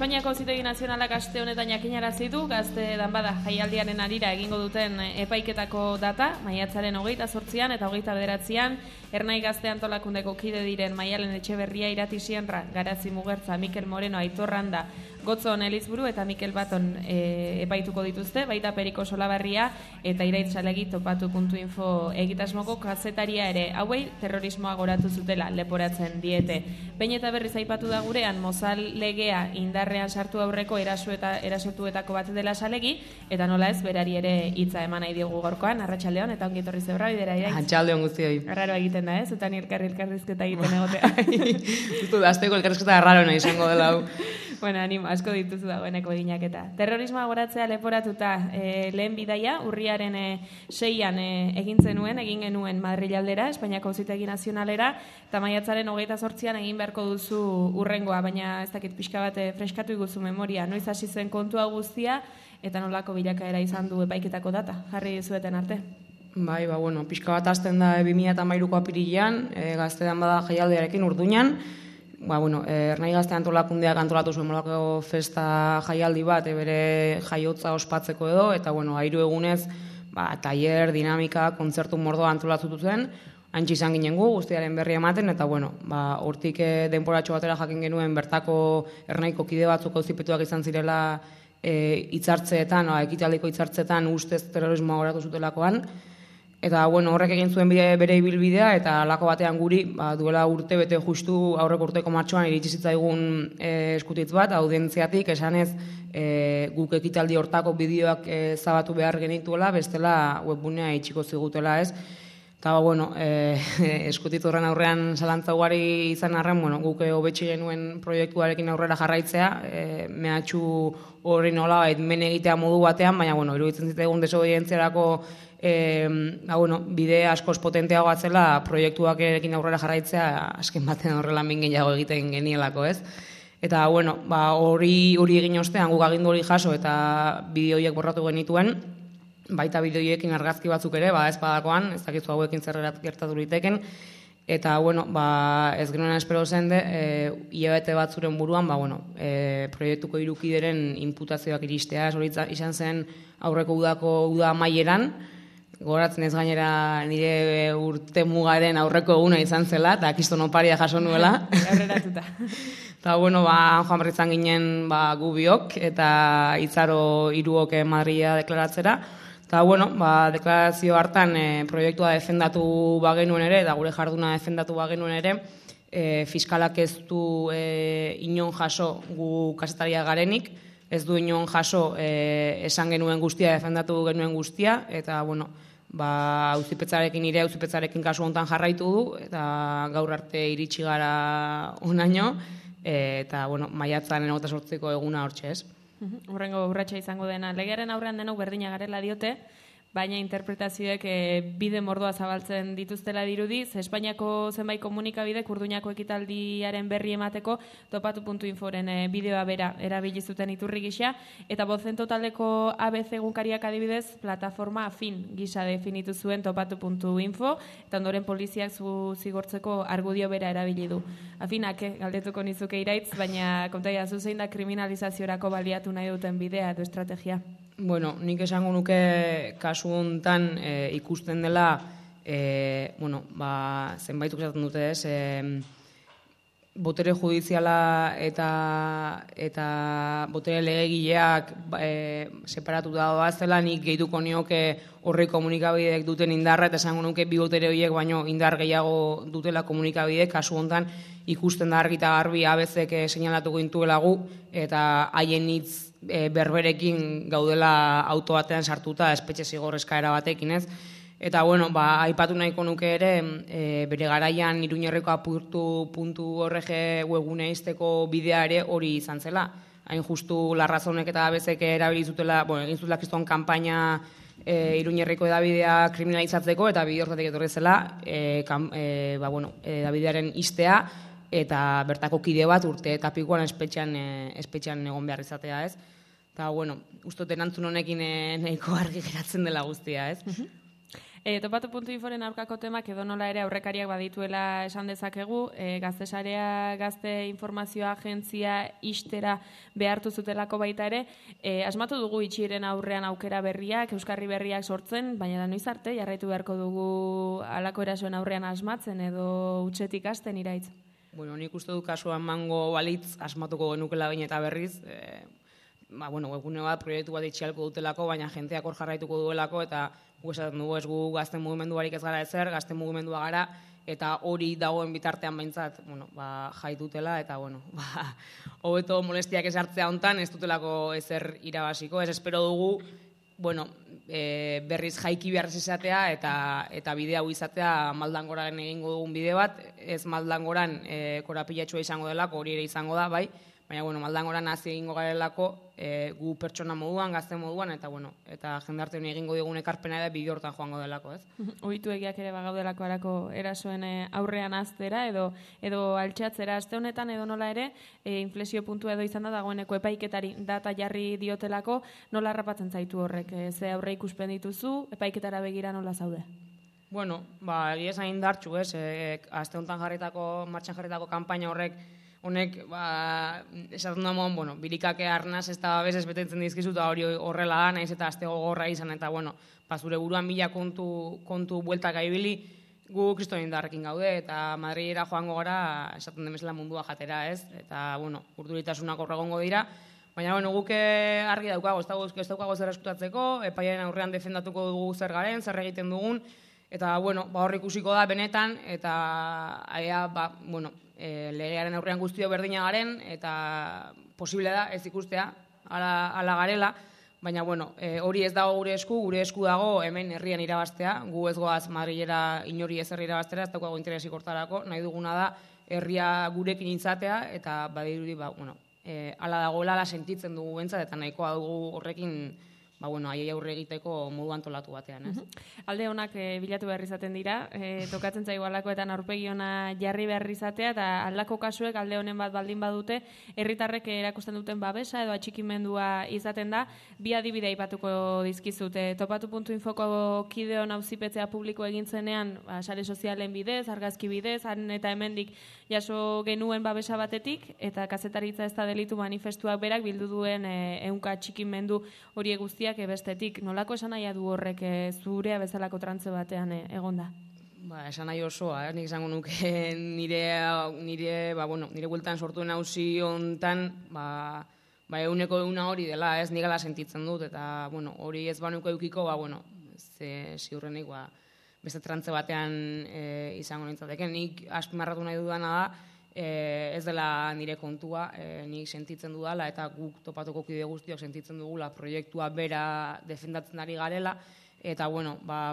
Espainiako Auzitegi Nazionalak aste honetan jakinarazi du gazte danbada jaialdiaren harira egingo duten epaiketako data, maiatzaren 28an eta 29an, Ernai Gazte Antolakundeko kide diren Maialen Etxeberria, Irati Sienra, Garazi Mugertza, Mikel Moreno, Aitor Randa, Gotzon Elizburu eta Mikel Baton epaituko dituzte, baita Periko Solabarria eta Iraitz Salegi topatu.info egitasmoko kazetaria ere. Hauei terrorismoa goratu zutela leporatzen diete. Behin eta berriz aipatu da gurean Mozal legea indarrean sartu aurreko erasotuetako bat dela Salegi, eta nola ez berari ere hitza eman nahi diogu gaurkoan. Arratsaldeon eta ongi etorri zebra bidera Iraitz. Arratsaldeon guztioi. Arraro egiten da, ez? Eta elkarrizketa egiten egotea. Justu dazteko elkarrizketa arraro nahi izango dela hau. Bueno, animo, asko dituzu dagoeneko eginaketa. Terrorismoa goratzea leporatuta lehen bidaia, urriaren 6an egin genuen Madril aldera, Espainiako Auzitegi Nazionalera, eta maiatzaren 28an egin beharko duzu urrengoa, baina ez dakit pixka bat freskatu iguzu memoria. Noiz hasi zen kontua guztia, eta nolako bilakaera izan du epaiketako data, jarri zueten arte. Bai, bueno, pixka bat hasten da 2013ko apirilean, Gazte danbada jaialdiarekin Urduñan. Ernai Gazte Antolakundeak antolatu zuen molako festa jaialdi bat, bere jaiotza ospatzeko edo, eta 3 egunez, tailer, dinamika, kontzertu mordoa antolatu zen, antxe izan ginen gu, guztiaren berri ematen, eta hortik denporatxo batera jakin genuen bertako Ernaiko kide batzuk auzipetuak izan zirela hitzartzeetan, ekitaldiko hitzartzeetan ustez terrorismoa goratu zutelakoan. Eta horrek egin zuen bere ibilbidea, eta halako batean guri duela urte bete justu aurreko urteko martxoan iritsi zitzaigun eskutitz bat, audientziatik esanez guk ekitaldi hortako bideoak zabatu behar genituela, bestela webbunea itxiko zigutela, ez? Eta eskutitz horren aurrean zalantza ugari izan arren, guk hobetxe genuen proiektuarekin aurrera jarraitzea, mehatxu horri nola men egitea modu batean, baina iruditzen zitzaigun desobedientziarako bide askoz potenteagoa zela proiektuak erekin aurrera jarraitzea azken batean horrela min gehiago egiten genielako, ez? Eta hori egin ostean guk agindu hori jaso eta bideoiek borratu genituen, baita bideoiekin argazki batzuk ere, ez badakoan, ez dakizu hauekin zerrerat gertatu liteken, eta ez genuen espero zen hilabete bat zuren buruan, proiektuko 3 kideren inputazioak iristea, hori izan zen aurreko uda amaieran, goratzen ez gainera nire urte mugaren aurreko eguna izan zela, eta kiston oparia jaso nuela. Aurreratuta. Eta joan berritzan ginen gu biok, eta Itzaro 3 Madrila deklaratzera. Eta deklarazio hartan proiektua defendatu bagenuen ere, eta gure jarduna defendatu bagenuen ere, fiskalak ez du inon jaso gu kazetaria garenik, ez du inon jaso esan genuen guztia, defendatu genuen guztia, eta auzipetzarekin kasu honetan jarraitu du, eta gaur arte iritsi gara onaino, eta maiatzaren 28ko eguna hortxe, ez? Horrengo urratsa izango dena. Legearen aurrean denok berdina garela diote, baina interpretazioek bide mordoa zabaltzen dituztela dirudiz. Espainiako zenbait komunikabidek Urduñako ekitaldiaren berri emateko topatu.inforen bideoa bera erabili zuten iturri gisa, eta Bozento taldeko ABC egunkariak adibidez plataforma afin gisa definitu zuen topatu.info, eta ondoren poliziak zigortzeko argudio bera erabili du. Afinak, galdetuko nizuke Iraitz, baina kontaia zuzein da kriminalizaziorako baliatu nahi duten bidea edo estrategia? Nik esango nuke kasu honetan ikusten dela, zenbaituk esaten dute ez, botere judiziala eta botere legegileak separatu da zela, nik gehituko nioke horri komunikabideek duten indarra, eta esango nuke bi botere horiek baino indar gehiago dutela komunikabideek, kasu honetan ikusten da argi eta garbi ABC-ek seinalatuko intuela gu, eta haien hitz berberekin gaudela auto batean sartuta espetxe zigor eskaera batekin, ez? Eta, aipatu nahiko nuke ere, bere garaian Iruñerreko apurtu.org webgune izteko bidea ere hori izan zela. Hain justu Larrazonek eta ABC-ek erabili zutela, egin zutela kriston kanpaina Iruñerreko edabidea kriminalizatzeko, eta bide horretatik etorri zela, edabidearen iztea, eta bertako kide bat urte eta pikoan espetxean egon behar izatea, ez? Eta, uste erantzun honekin nahiko argi geratzen dela guztia, ez? Topatu.inforen aurkako temak edo nola ere aurrekariak badituela esan dezakegu, Gaztesarea gazte informazioa agentzia ixtera behartu zutelako baita ere, asmatu dugu itxiren aurrean aukera berriak, euskarri berriak sortzen, baina da noiz arte jarraitu beharko dugu halako erasoen aurrean asmatzen edo utzetik hasten iraitz. Bueno, nik uste du kasuan mango balitz asmatuko genukela baina eta berriz, webgune bat, proiektu bat itxialko dutelako, baina jenteak hor jarraituko duelako, eta gu esaten dugu ez gu gazten mugimenduarik ez gara ezer, gazten mugimendua gara, eta hori dagoen bitartean behintzat, jaitutela, eta, hobeto molestiak esartzea hontan, ez dutelako ezer irabaziko, ez espero dugu, berriz jaiki behar izatea, eta bide hau izatea Maldangoran egingo dugun bide bat, ez Maldangoran korapilatxua izango delako, hori ere izango da, bai, baina, Maldangoran hazi egingo garelako gu pertsona moduan, gazte moduan, eta jendarte honi egingo digun ekarpena da bide hortan joango delako, ez? Ohitu egiak ere bagaudelako arako erasoen aurrean aztera edo altxatzera aste honetan edo nola ere, inflexio puntua edo izan da dagoeneko epaiketari data jarri diotelako, nola harrapatzen zaitu horrek? Ze aurre ikuspen dituzu, epaiketara begira nola zaude? Egia esan indartxu, ez? Aste honetan martxan jarritako kanpaina honek, esaten da moan, birikake arnaz ez da bezez betetzen dizkizu, eta hori horrela da, nahiz eta azte gogorra izan, eta zure buruan mila kontu bueltak aibili, gu kristoen indarrekin gaude, eta Madrilera joango gara, esaten demezela mundua jatera, ez? Eta, urduritasunak horregongo dira, baina, guk argi daukago, ez daukago zer eskutatzeko, epaiaren aurrean defendatuko dugu zer garen, zer egiten dugun, eta, hor ikusiko da benetan, eta, legearen aurrean guztio berdina garen, eta posible da ez ikustea, ala garela, baina, hori ez dago gure esku dago hemen herrian irabaztea, gu ez goaz Madrilera inori ezer irabaztera, ez daukago interesik hortarako, nahi duguna da herria gurekin izatea, eta badirudi, ala dagoela, ala sentitzen dugu bentsat, eta nahikoa dugu horrekin, aiei aurre egiteko modu antolatu batean, ez? Alde honak bilatu behar izaten dira, tokatzen zaigu alakoetan aurpegi ona jarri behar izatea, eta aldako kasuek alde honen bat baldin badute, herritarrek erakusten duten babesa edo atxikimendua izaten da, bi adibide aipatuko dizkizute. Topatu.infoko kideon auzipetzea publiko egintzenean, sare sozialen bidez, argazki bidez, han eta hemendik jaso genuen babesa batetik, eta kazetaritza ez da delitu manifestuak berak bildu duen ehunka atxikimendu horiek guztiak bestetik. Nolako esan nahi du horrek zurea bezalako trantze batean egonda? Esan nahi osoa, nik izango nuke nire bueltan sortuen hauzi hontan, euneko euna hori dela, ez nigala sentitzen dut, eta hori ez banuko eukiko, ziurrenik, beste trantze batean izango nintzateke. Nik azpimarratu nahi dudana da, ez dela nire kontua, nik sentitzen dudala, eta guk topatuko kide guztiok sentitzen dugula proiektua bera defendatzen ari garela, eta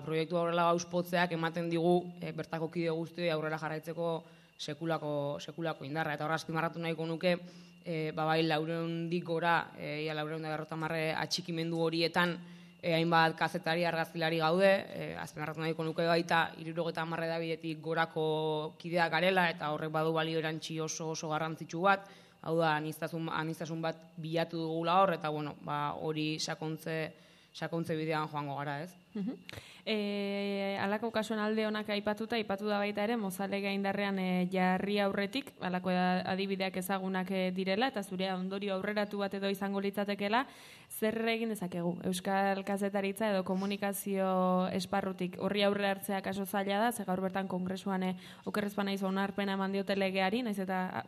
proiektua horrela gauspotzeak ematen digu bertako kide guztioi aurrera jarraitzeko sekulako indarra, eta horra azpimarratu nahiko nuke, laurehundik gora, 450 atxikimendu horietan, hainbat kazetari, argazkilari gaude, azpimarratu nahiko nuke baita 70 hedabidetik gorako kideak garela, eta horrek badu balio erantzi oso garrantzitsu bat, hau da, aniztasun bat bilatu dugula hor, eta hori sakontze bidean joango gara, ez? Halako kasuen alde honak aipatu da baita ere, Mozalega indarrean jarri aurretik, halako adibideak ezagunak direla, eta zure ondorio aurreratu bat edo izango litzatekela, zer egin dezakegu? Euskal kazetaritza edo komunikazio esparrutik horri aurre hartzea kaso zaila da, ze gaur bertan kongresuan okerrezpan naiz onarpena eman diote legeari, naiz eta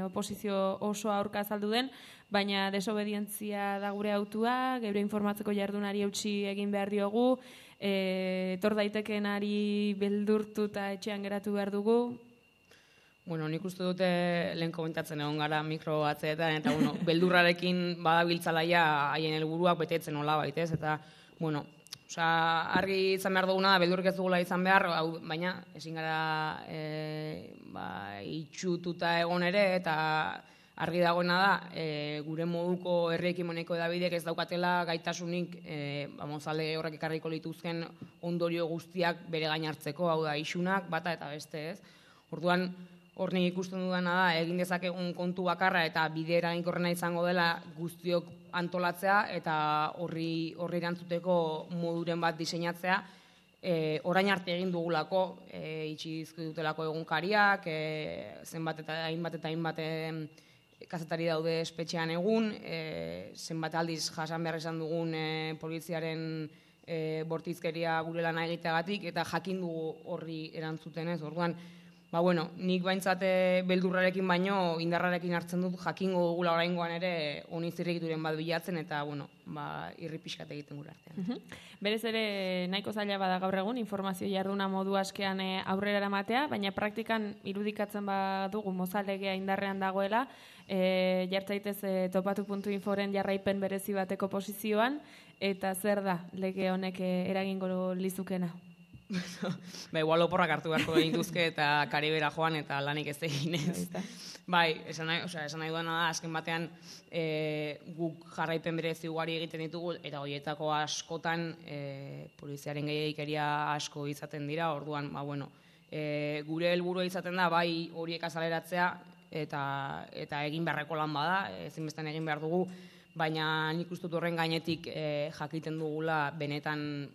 oposizio oso aurka azaldu den, baina desobedientzia da gure autua, geure informatzeko jardunari eutsi egin behar diogu, etor daitekenari beldurtu eta etxean geratu behar dugu. Nik uste dute lehen komentatzen egon gara mikro atzeetan, eta beldurrarekin badabiltzalaia haien helburuak betetzen hola baitez, eta argi izan behar duguna da, beldurrik ez dugula izan behar, baina ezin gara itxututa egon ere, eta argi dagoena da, gure moduko herri ekimeneko edabidek ez daukatela gaitasunik Mozale horrek ekarriko lituzken ondorio guztiak bere gain hartzeko, hau da, isunak, bata eta beste, ez? Orduan, hor nik ikusten dudana da, egin dezakegun kontu bakarra eta bide eraginkorrena izango dela guztiok antolatzea eta horri erantzuteko moduren bat diseinatzea, orain arte egin dugulako, itxi dizkigutelako egunkariak, zenbat eta hainbat kazetari daude espetxean egun, zenbat aldiz jasan behar esan dugun poliziaren bortizkeria gure lana egiteagatik, eta jakin dugu horri erantzuten ez, orduan, nik baintzat beldurrarekin baino indarrarekin hartzen dut jakingo dugula oraingoan ere honi zirrikituren bat bilatzen eta irri pixkat egiten gure artean. Berez ere nahiko zaila bada gaur egun informazio jarduna modu askean aurrera eramatea, baina praktikan irudikatzen badugu mozalegea indarrean dagoela, jartzaitez topatu.inforen jarraipen berezi bateko posizioan, eta zer da lege honek eragingo lizukena? Igual oporrak hartu beharko genituzke eta Karibera joan eta lanik ez eginez. Esan nahi duena da, azken batean guk jarraipen berezi ugari egiten ditugu eta horietako askotan poliziaren gehiagikeria asko izaten dira, orduan, gure helburua izaten da, bai horiek azaleratzea eta egin beharreko lan bada, ezinbestean egin behar dugu, baina nik uste dut horren gainetik jakiten dugula benetan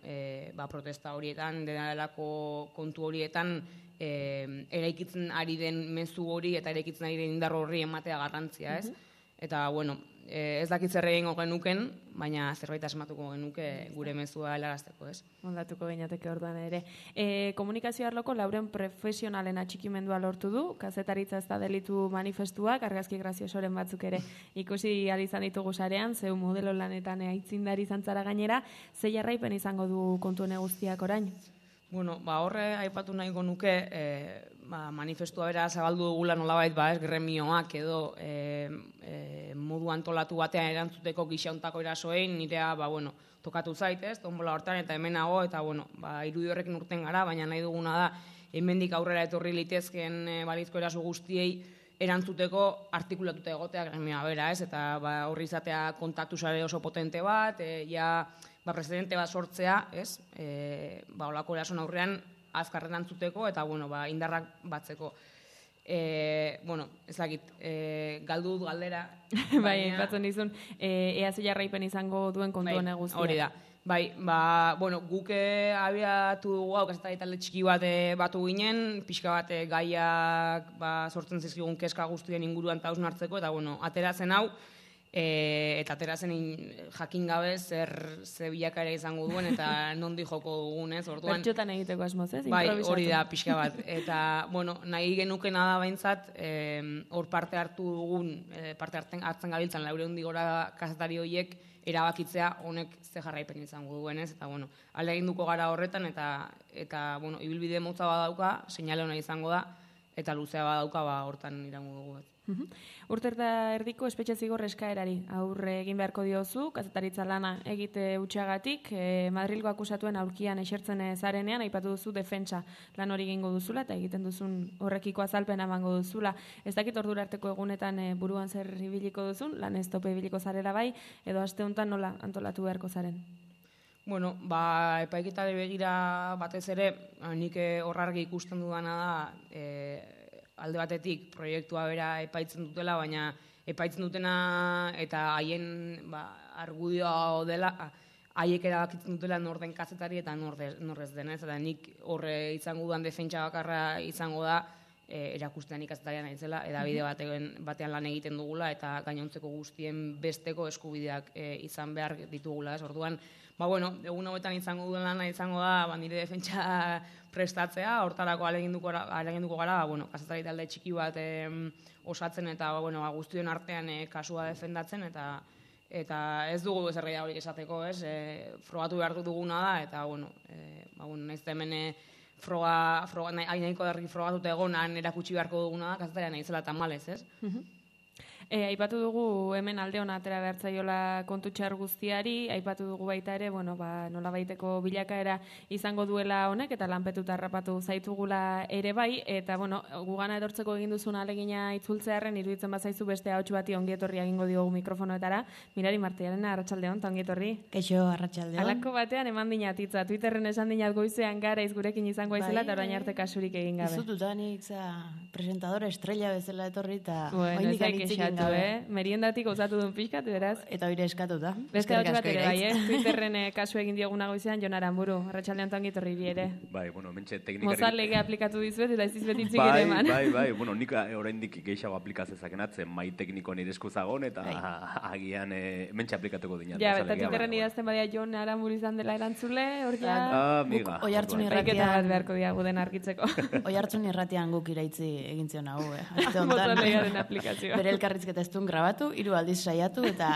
protesta horietan, denarelako kontu horietan eraikitzen ari den mezu hori eta eraikitzen ari den indar horri ematea garrantzia, ez? Eta, ez dakit zer egingo genuken, baina zerbait asmatuko genuke gure mezua helarazteko, ez? Ondatuko gineateke orduan ere. Komunikazio arloko lauren profesionalen atxikimendua lortu du, kazetaritza ez da delitu manifestuak, argazki graziosoren batzuk ere ikusi izan ditugu sarean, zeu modelo lanetan aitzindari zantzara gainera, ze jarraipen izango du kontu guztiak orain? Horre aipatu nahiko nuke manifestua bera zabaldu dugula nolabait gremioak edo modu antolatu batean erantzuteko gixauntako erasoein nirea tokatu zaitez, tombola hortan eta hemenago eta irudi horrekin urten gara, baina nahi duguna da hemendik aurrera etorri litezkeen balizko eraso guztiei erantzuteko artikulatuta egotea gremioa bera, ez? Eta horri izatea kontaktu sare oso potente bat, presidente bat sortzea, ez? Olako erason aurrean azkarren antzuteko eta indarrak batzeko. Ez dakit, galdu dut galdera. Bai, batzen dizun, ea ze jarraipen izango duen kontu guztiak. Hori da. Guk abiatu dugu hau, kazetari talde txiki bat batu ginen, pixka bat gaiak sortzen zizkigun keska guztien inguruan eta hausnartzeko, eta ateratzen hau, eta ateratzen jakin gabe ze bilakaera izango duen eta nondi joko dugun, ez? Bertxotan egiteko asmoz, ez? Bai, hori da, pixka bat. Eta, nahi genukena da baintzat, hor parte hartu dugun, parte hartzen gabiltzan, 400 gora kazetari horiek erabakitzea honek ze jarraipen izango duen, ez? Eta, ahaleginduko gara horretan, eta ibilbide motza badauka, seinale hona izango da, eta luzea badauka, hortan irango dugu. Urte eta erdiko espetxe zigor eskaerari aurre egin beharko diozu, kazetaritza lana egite utxagatik, Madrilgo akusatuen aurkian esertzen zarenean, aipatu duzu defentsa lan hori egingo duzula, eta egiten duzun horrekiko azalpen emango duzula. Ez dakit ordura arteko egunetan buruan zer ibiliko duzun, lan ez tope ibiliko zarela bai, edo aste honetan nola antolatu beharko zaren? Epaiketari begira batez ere, nik horrargi ikusten dudana da, alde batetik proiektua bera epaitzen dutela, baina epaitzen dutena eta haien argudioa dela, haiek erabakitzen dutela nor den kazetari eta nor ez denez, eta nik horre izango dudan defentsa bakarra izango da, erakustean kazetarian aitzela, edabide batean lan egiten dugula, eta gainontzeko guztien besteko eskubideak izan behar ditugula, ez? Orduan, egun hauetan izango duen lana izango da, nire defentsa prestatzea, hortarako aleginduko gara, kazetari talde txiki bat osatzen eta guztion artean kasua defendatzen, eta ez dugu ezer gehiagorik esateko, ez? Frogatu behar duguna da, eta, nahiz da hemen froga nahiko dargi frogatuta egonan erakutsi beharko duguna da, kazetarian naizela tamalez, ez? Aipatu dugu hemen alde hona atera behartzaiola kontu txar guztiari, aipatu dugu baita ere, nola baiteko bilakaera izango duela honek, eta lanpetuta harrapatu zaitugula ere bai, eta gugana edortzeko egin duzun alegina itzultzearen, iruditzen bazaizu beste hauts bati ongietorri egingo diogu mikrofonoetara. Mirari Martiarena, arratsaldeon, eta ongietorri. Kaixo, arratsaldeon. Halako batean eman dinatitza, Twitterren esan dinat goizean gara gurekin izango aizela, eta orain arte kasurik egin gabe. Ez dut utanik, presentadora estrella bezala etorri, eta ez daik gozatu, meriendatik gozatu duen pixkat, beraz. Eta hori eskatuta. Beste hau bat ere, bai, Twitterren kasu egin diogun nagoizean, Jon Aramburu, arratsaldean ongi etorri bi ere. Bai, bueno, mentxe teknikari... Mozart legea aplikatu dizuet, eta ez dizbet hitzik ere eman. Bai, bueno, nik oraindik gehiago aplikazezaken atzen, mai tekniko nire eskuzagon, eta agian mentxe aplikatuko dinat. Ja, eta Twitterren idazten badia Jon Aramburu izan dela erantzule, hor ja... Miga. Oihartzun Baiketa bat beharko diagu den argitzeko. Oihartzun irratian guk iraitzi egin zion hau, Mozart legearen aplikazioa. Bere elkarrizketa ez duen grabatu, 3 aldiz saiatu, eta...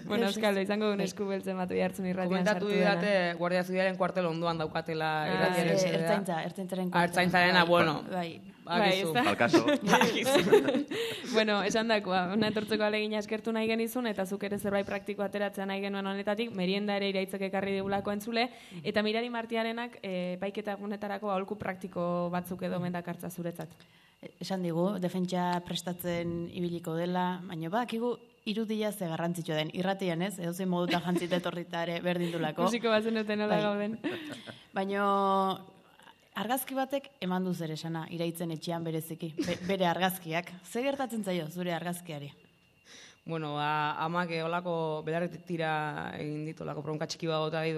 Bueno, Euskal, izango duen esku beltzen bat Oihartzun irratian sartu dena. Komentatu didate Guardia Zibilaren kuartel onduan daukatela irratiaren sedea. Ertzaintzaren Ertzaintzarena, bueno. Bai, Alkaso. Bueno, esan dakoa, hona etortzeko alegina eskertu nahi genizun, eta zuk ere zerbait praktiko ateratzea nahi genuen honetatik, merienda ere iraitzek ekarri digulako entzule, eta Mirari Martiarenak paiketa egunetarako aholku praktiko batzuk edo mendakartza zuretzat. Esan digu, defentsa prestatzen ibiliko dela, baina bakigu irudia ze garrantzitsua den. Irratian ez, edozein moduta jantzita etorrita ere berdindulako. Musiko bazen duten nola gauden. Baina argazki batek eman du zer esana, iraitzen etxean bereziki. Bere argazkiak. Ze gertatzen zaio zure argazkiari? Bueno, amak olako belarretik tira egin ditu, olako bronka txiki bagota dit,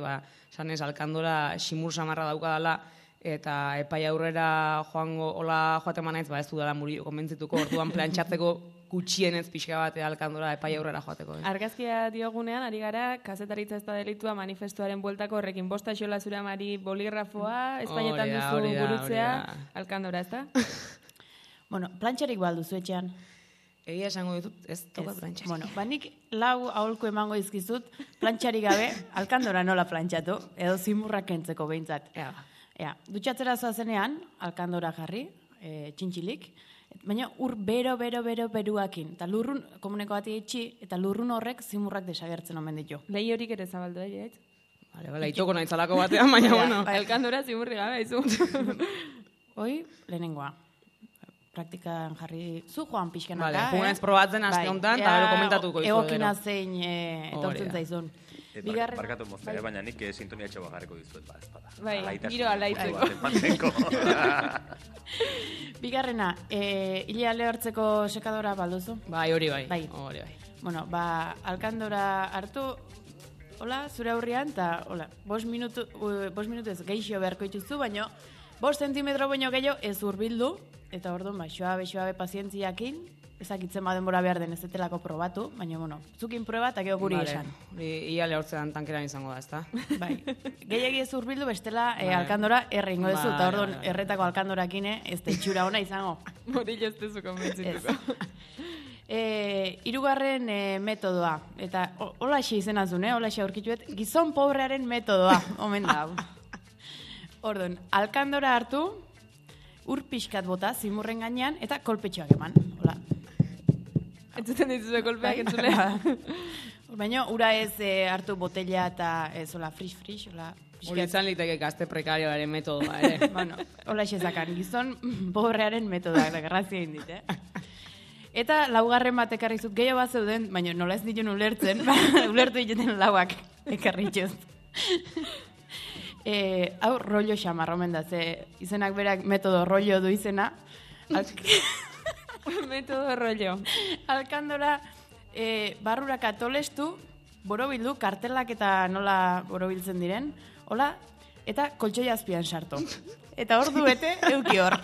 sanez, alkandora simur samarra daukadala, eta epai aurrera joaten manaiz, ez du dela Murillo konbentzituko, orduan plantxatzeko gutxienez pixka bat alkandora epai aurrera joateko. Argazkia diogunean, ari gara, kazetaritza ez da delitua manifestuaren bueltako horrekin, bosta xola zure amari boligrafoa, Espainetan duzu gurutzea, alkandora, ez da? Bueno, plantxarik balduzu etxean? Egia esango ditut, ez toka plantxarik. Bueno, nik 4 aholku emango izkizut, plantxarik gabe, alkandora nola plantxatu, edo zimurrak kentzeko behintzat. Dutxatzera zoazenean, alkandora jarri, txintxilik, baina beruakin, eta lurrun, komuneko bati etxi, eta lurrun horrek zimurrak desagertzen omen ditu. Lehi horik ere zabaldu, jaitz? Bale, itoko nahitzalako batean, baina, bueno. Alkandora zimurri gabe, izu. Hoi, lehenengoa. Praktikan jarri zu joan pixkanaka. Vale, jugunez probatzen aste honetan, eta gero komentatuko izu. Egokina zein etortzen zaizun. Barkatu moztea, baina nik sintonia txoa jarriko dizuet, ez bada. Bai, giro alaitzeko. Bigarrena, hile ale hartzeko sekadora balduzu? Bai, hori bai. Bueno, alkandora hartu, hola, zure aurrian, eta, hola, 5 minutu ez geixio beharko ituzu, baina 5 zentimetro baino gehiago ez urbildu, eta orduan, xoabe pazientziakin, ezakitzen denbora behar den ez detelako probatu, baina, bueno, zukin proba eta gero guri esan. Ia lehortzean tankeran izango da, ezta? Bai, gehiagi ez urbildu bestela alkandora erringo dezu, eta orduan erretako alkandorakine ez da itxura ona izango. Morillo ez dezu konbentzituko. Hirugarren metodoa, eta holaxe izenazun, holaxe aurkituet, gizon pobrearen metodoa, omen da. Orduan, alkandora hartu, ur pixkat bota, zimurren gainean, eta kolpetxoak eman. Hola. Entzuten dituzue kolpeak entzule. Baina, ura ez hartu botella eta ez, hola, frisch, hola. Hori izan liteke gazte prekarioaren metodoa, ere. Bueno, hola esakan, gizon pobrearen metodoa, garrazia indit, Eta laugarren bat ekarrizut, gehiago bat zeuden, baina nola ez ditun ulertzen, ulertu dituten lauak ekarritxuz. Hau rollo xamar, omen da, ze izenak berak metodo rollo du izena. Metodo rollo. Alkandora barrurak atolestu, borobildu, kartelak eta nola borobiltzen diren, hola, eta koltsoi azpian sartu. Eta hor bete, euki hor.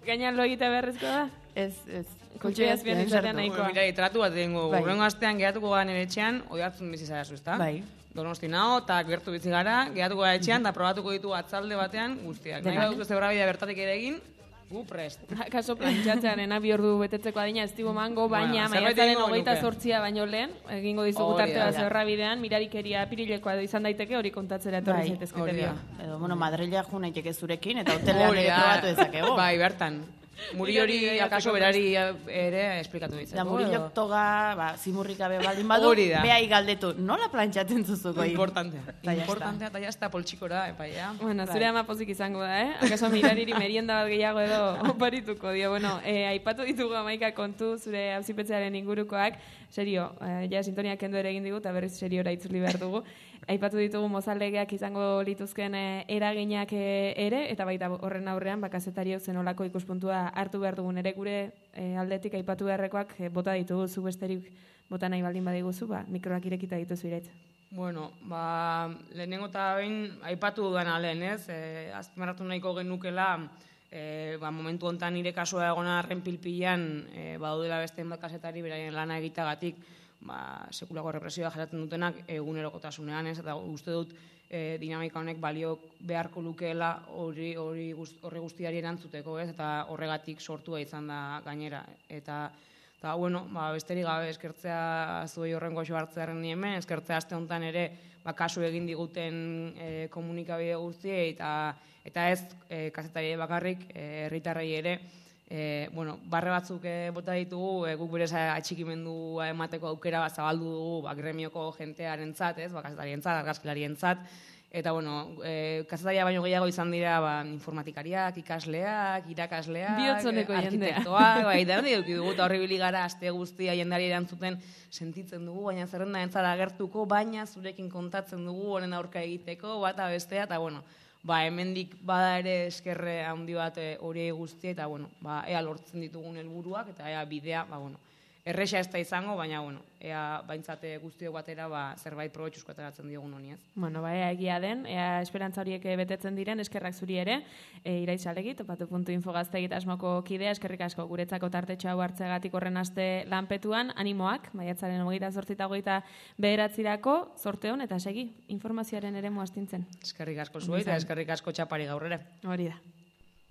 Gainan lo egita beharrezko da? Ez. Koltsoi azpian izatea nahikoa. Mira, tratu bat egingo, urrengo astean geratuko gara nire etxean, Oihartzun bizi zara zu, ezta? Bai. Donosti nao, eta gertu bizi gara, geratuko gara etxean, eta probatuko ditu atzalde batean guztiak. Nahi baduzu zebrabidea bertatik ere egin, gu prest. Kaso plantxatzean, bi ordu betetzeko adina ez digu mango, baina maiatzaren 28 baino lehen, egingo dizugu tartea zebrabidean, mirarikeria apirilekoa izan daiteke, hori kontatzera etorri zaitezkete dio. Edo, bueno, Madrilea jo naiteke zurekin, eta hotelean ere probatu dezakego. Bai, bertan. Muri hori, akaso berari ere esplikatu ditzeko. Da, Murillo toga, zimurrik gabe baldin badu, behai galdetu, nola plantxatzen zuzuko? Importantea, eta jazta poltsikora, epaia. Bueno, zure ama pozik izango da, Akaso mirariri merienda bat gehiago edo oparituko dio. Bueno, aipatu ditugu 11 kontu zure auzipetzearen ingurukoak, serio, ja sintonia kendu ere egin digu, eta berriz seriora itzuli behar dugu. Aipatu ditugu mozallegeak izango lituzken eraginak ere, eta baita horren aurrean, kazetariok zenolako ikuspuntua hartu behar dugun ere gure aldetik aipatu beharrekoak bota ditugu zu besterik bota nahi baldin badiguzu, mikroak irekita dituzu iraitz. Bueno, lehenengo eta behin aipatu dudan alen, ez? Azpimarratu nahiko genukela, momentu hontan nire kasua egona arren pilpilan, badaudela beste bat kasetari beraien lana egitagatik, sekulako represioa jasaten dutenak egunerokotasunean, ez? Eta uste dut dinamika honek balio beharko lukeela horri guztiari erantzuteko, ez? Eta horregatik sortua izan da gainera. Eta bueno, besterik gabe eskertzea zuei horren goxo hartzearen hemen, eskertzea aste honetan ere kasu egin diguten komunikabide guztiei eta ez kazetari bakarrik, herritarrei ere, barre batzuk bota ditugu, guk berez atxikimendua emateko aukera zabaldu dugu gremioko jentearentzat, ez, kazetarientzat, argazkilarientzat, eta kazetaria baino gehiago izan dira informatikariak, ikasleak, irakasleak, arkitektoak, denok dugu eta horri bili gara aste guztia jendari erantzuten sentitzen dugu, baina zerrenda entzara agertuko, baina zurekin kontatzen dugu honen aurka egiteko, bata bestea, eta hemendik bada ere eskerre handi bat hori guztia, eta ea lortzen ditugun helburuak eta ea bidea, erresa ez da izango, baina, ea baintzate guztiok batera zerbait probetxuzko ateratzen diogun honi, ez? Ea egia den, ea esperantza horiek betetzen diren, eskerrak zuri ere, Iraitz Alegi, topatu.info gaztegit asmoko kidea, eskerrik asko guretzako tartetxo hau hartzegatik horren aste lanpetuan, animoak, maiatzaren 28 eta 29 zorte hon, eta segi, informazioaren ere muastintzen. Eskerrik asko zuei, eta eskerrik asko txapari gaur ere. Hori da.